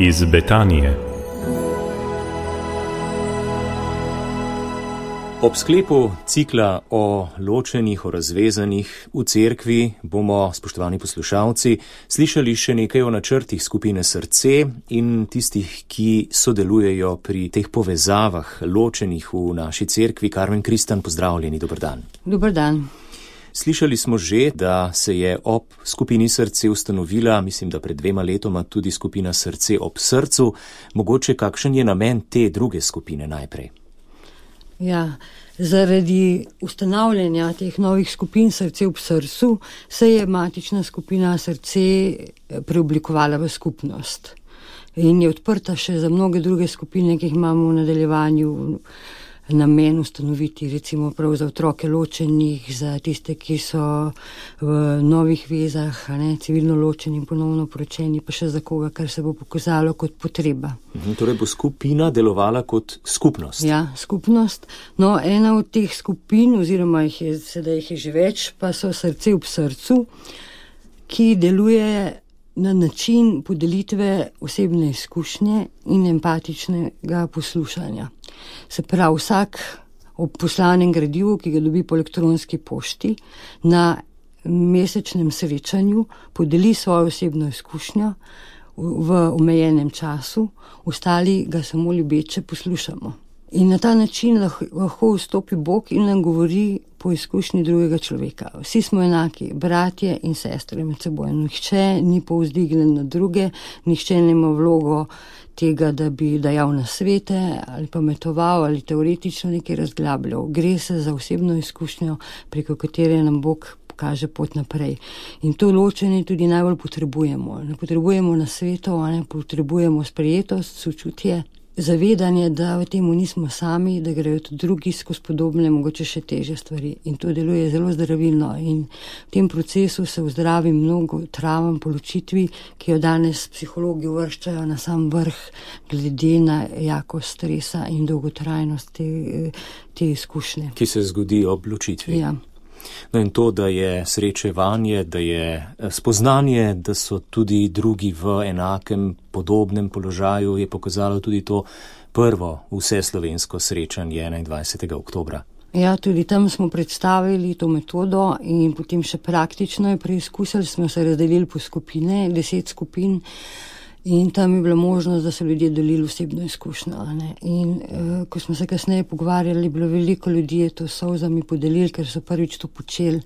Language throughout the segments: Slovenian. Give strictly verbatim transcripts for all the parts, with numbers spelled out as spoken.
Iz Betanije. Ob sklepu cikla o ločenih, o razvezanih v cerkvi bomo, spoštovani poslušalci, slišali še nekaj o načrtih skupine Srce in tistih, ki sodelujejo pri teh povezavah ločenih v naši cerkvi. Karmen Kristan, pozdravljeni, dober dan. Dober dan. Slišali smo že, da se je ob skupini Srce ustanovila, mislim, da pred dvema letoma tudi skupina Srce ob srcu. Mogoče kakšen je namen te druge skupine najprej? Ja, zaradi ustanavljanja teh novih skupin Srce ob srcu se je matična skupina Srce preoblikovala v skupnost in je odprta še za mnoge druge skupine, ki jih imamo v nadaljevanju namen ustanoviti, recimo prav za otroke ločenih, za tiste, ki so v novih vezah, ne, civilno ločeni in ponovno poročeni, pa še za koga, kar se bo pokazalo kot potreba. Mhm, torej bo skupina delovala kot skupnost. Ja, skupnost. No, ena od teh skupin, oziroma jih je, sedaj jih je že več, pa so Srce ob srcu, ki deluje na način podelitve osebne izkušnje in empatičnega poslušanja. Se pravi, vsak ob poslanem gradivu, ki ga dobi po elektronski pošti, na mesečnem srečanju podeli svojo osebno izkušnjo v omejenem času, ostali ga samo ljubeče poslušamo. In na ta način lahko vstopi Bog in nam govori po izkušnji drugega človeka. Vsi smo enaki, bratje in sestre med seboj. Nihče ni povzdignjen na druge, nihče nima vlogo tega, da bi dajal nasvete ali pametoval ali teoretično nekaj razglabljal. Gre se za osebno izkušnjo, preko katere nam Bog kaže pot naprej. In to ločenje tudi najbolj potrebujemo. Ne potrebujemo nasvetov, ne potrebujemo sprejetost, sočutje, zavedanje, da v temu nismo sami, da grejo tudi drugi skozi podobne, mogoče še težje stvari. In to deluje zelo zdravilno. In v tem procesu se vzdravi mnogo travam po ločitvi, ki jo danes psihologi uvrščajo na sam vrh glede na jakost stresa in dolgotrajnost te, te izkušnje. Ki se zgodi ob ločitvi. Ja. No in to, da je srečevanje, da je spoznanje, da so tudi drugi v enakem, podobnem položaju, je pokazalo tudi to prvo vseslovensko srečanje enaindvajsetega oktobra. Ja, tudi tam smo predstavili to metodo in potem še praktično je preizkusili, smo se razdelili po skupine, deset skupin. In tam je bila možnost, da so ljudje delili osebno izkušnjo. Ne? In uh, ko smo se kasneje pogovarjali, je bilo veliko ljudi, je to solzami podelili, ker so prvič to počeli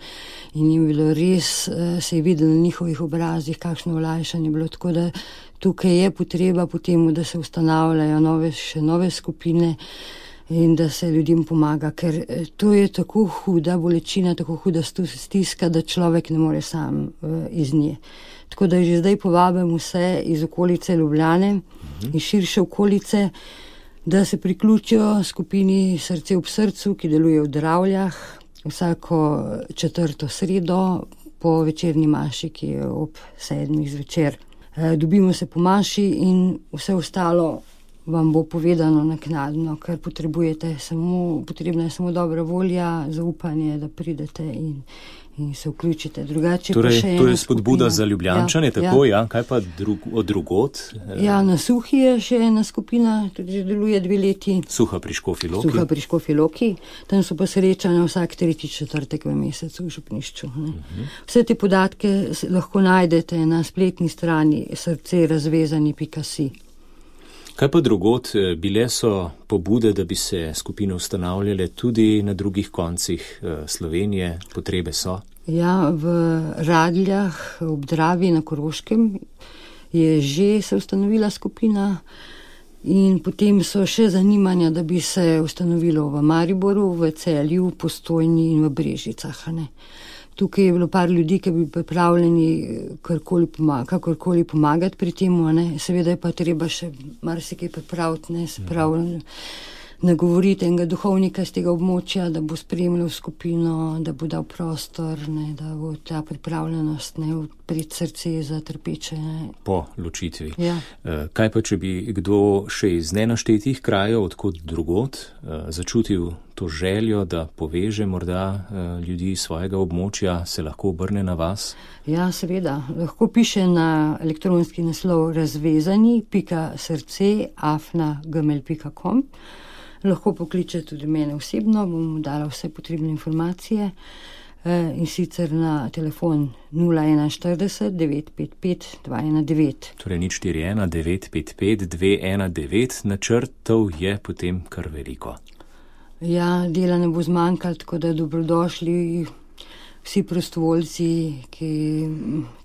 in jim bilo res, uh, se je videlo na njihovih obrazih, kakšno olajšanje je bilo. Tako da tukaj je potreba po temu, da se ustanavljajo nove, še nove skupine in da se ljudem pomaga, ker to je tako huda bolečina, tako huda stiska, da človek ne more sam uh, iz nje. Tako da že zdaj povabim vse iz okolice Ljubljane in širše okolice, da se priključijo skupini Srce ob srcu, ki deluje v Dravljah vsako četrto sredo po večerni maši, ki je ob sedmih zvečer. E, dobimo se po maši in vse ostalo vam bo povedano naknadno, ker potrebujete samo, potrebna je samo dobra volja, zaupanje, da pridete in in se vključite. Drugače torej, pa še to je spodbuda za Ljubljančane, ja, tako, ja. ja, kaj pa drug, od drugot? Ja, na Suhi je še ena skupina, tudi že deluje dve leti. Suha pri Škofji Loki. Suha pri Škofji Loki. Tam so pa srečanja vsak tretji četrtek v mesecu v župnišču. Ne. Uh-huh. Vse te podatke lahko najdete na spletni strani srce razvezani pika si. Kaj pa drugot? Bile so pobude, da bi se skupine ustanavljale tudi na drugih koncih Slovenije, potrebe so? Ja, v Radljah, ob Dravi na Koroškem je že se ustanovila skupina in potem so še zanimanja, da bi se ustanovilo v Mariboru, v Celju, Postojni in v Brežicah. Ne. Tukaj je bilo par ljudi, ki bi pripravljeni karkoli pomaga, kakorkoli pomagati pri tem, ne. Seveda je pa treba še marsikaj pripraviti, ne, se pravi, nagovoriti enega duhovnika z tega območja, da bo spremljal skupino, da bo dal prostor, ne, da bo ta pripravljenost, ne, odpreti srce za trpeče. Ne. Po ločitvi. Ja. Kaj pa, če bi kdo še iz nenaštetih krajev, odkot drugod, začutil to željo, da poveže morda ljudi svojega območja, se lahko obrne na vas? Ja, seveda. Lahko piše na elektronski naslov razvezani pika srce afna gmail pika com. Lahko pokliče tudi mene osebno, bom dala vse potrebne informacije in sicer na telefon nula ena štirideset devet pet pet dva ena devet. Torej nič štiri ena devet pet pet dve ena devet, načrtov je potem kar veliko. Ja, dela ne bo zmanjkalo, tako da dobrodošli vsi prostovoljci, ki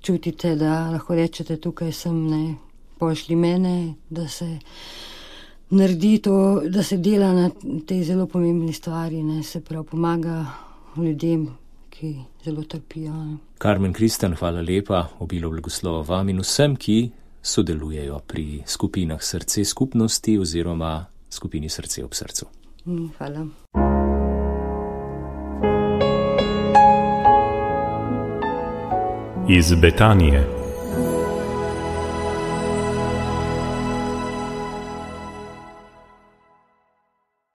čutite, da lahko rečete, tukaj sem, ne, pošli mene, da se naredi to, da se dela na tej zelo pomembni stvari, ne, se prav pomaga ljudem, ki zelo trpijo. Ne. Karmen Kristan, hvala lepa, obilo blagoslova vam in vsem, ki sodelujejo pri skupinah Srce skupnosti oziroma skupini Srce ob srcu. Hvala. Iz Betanije.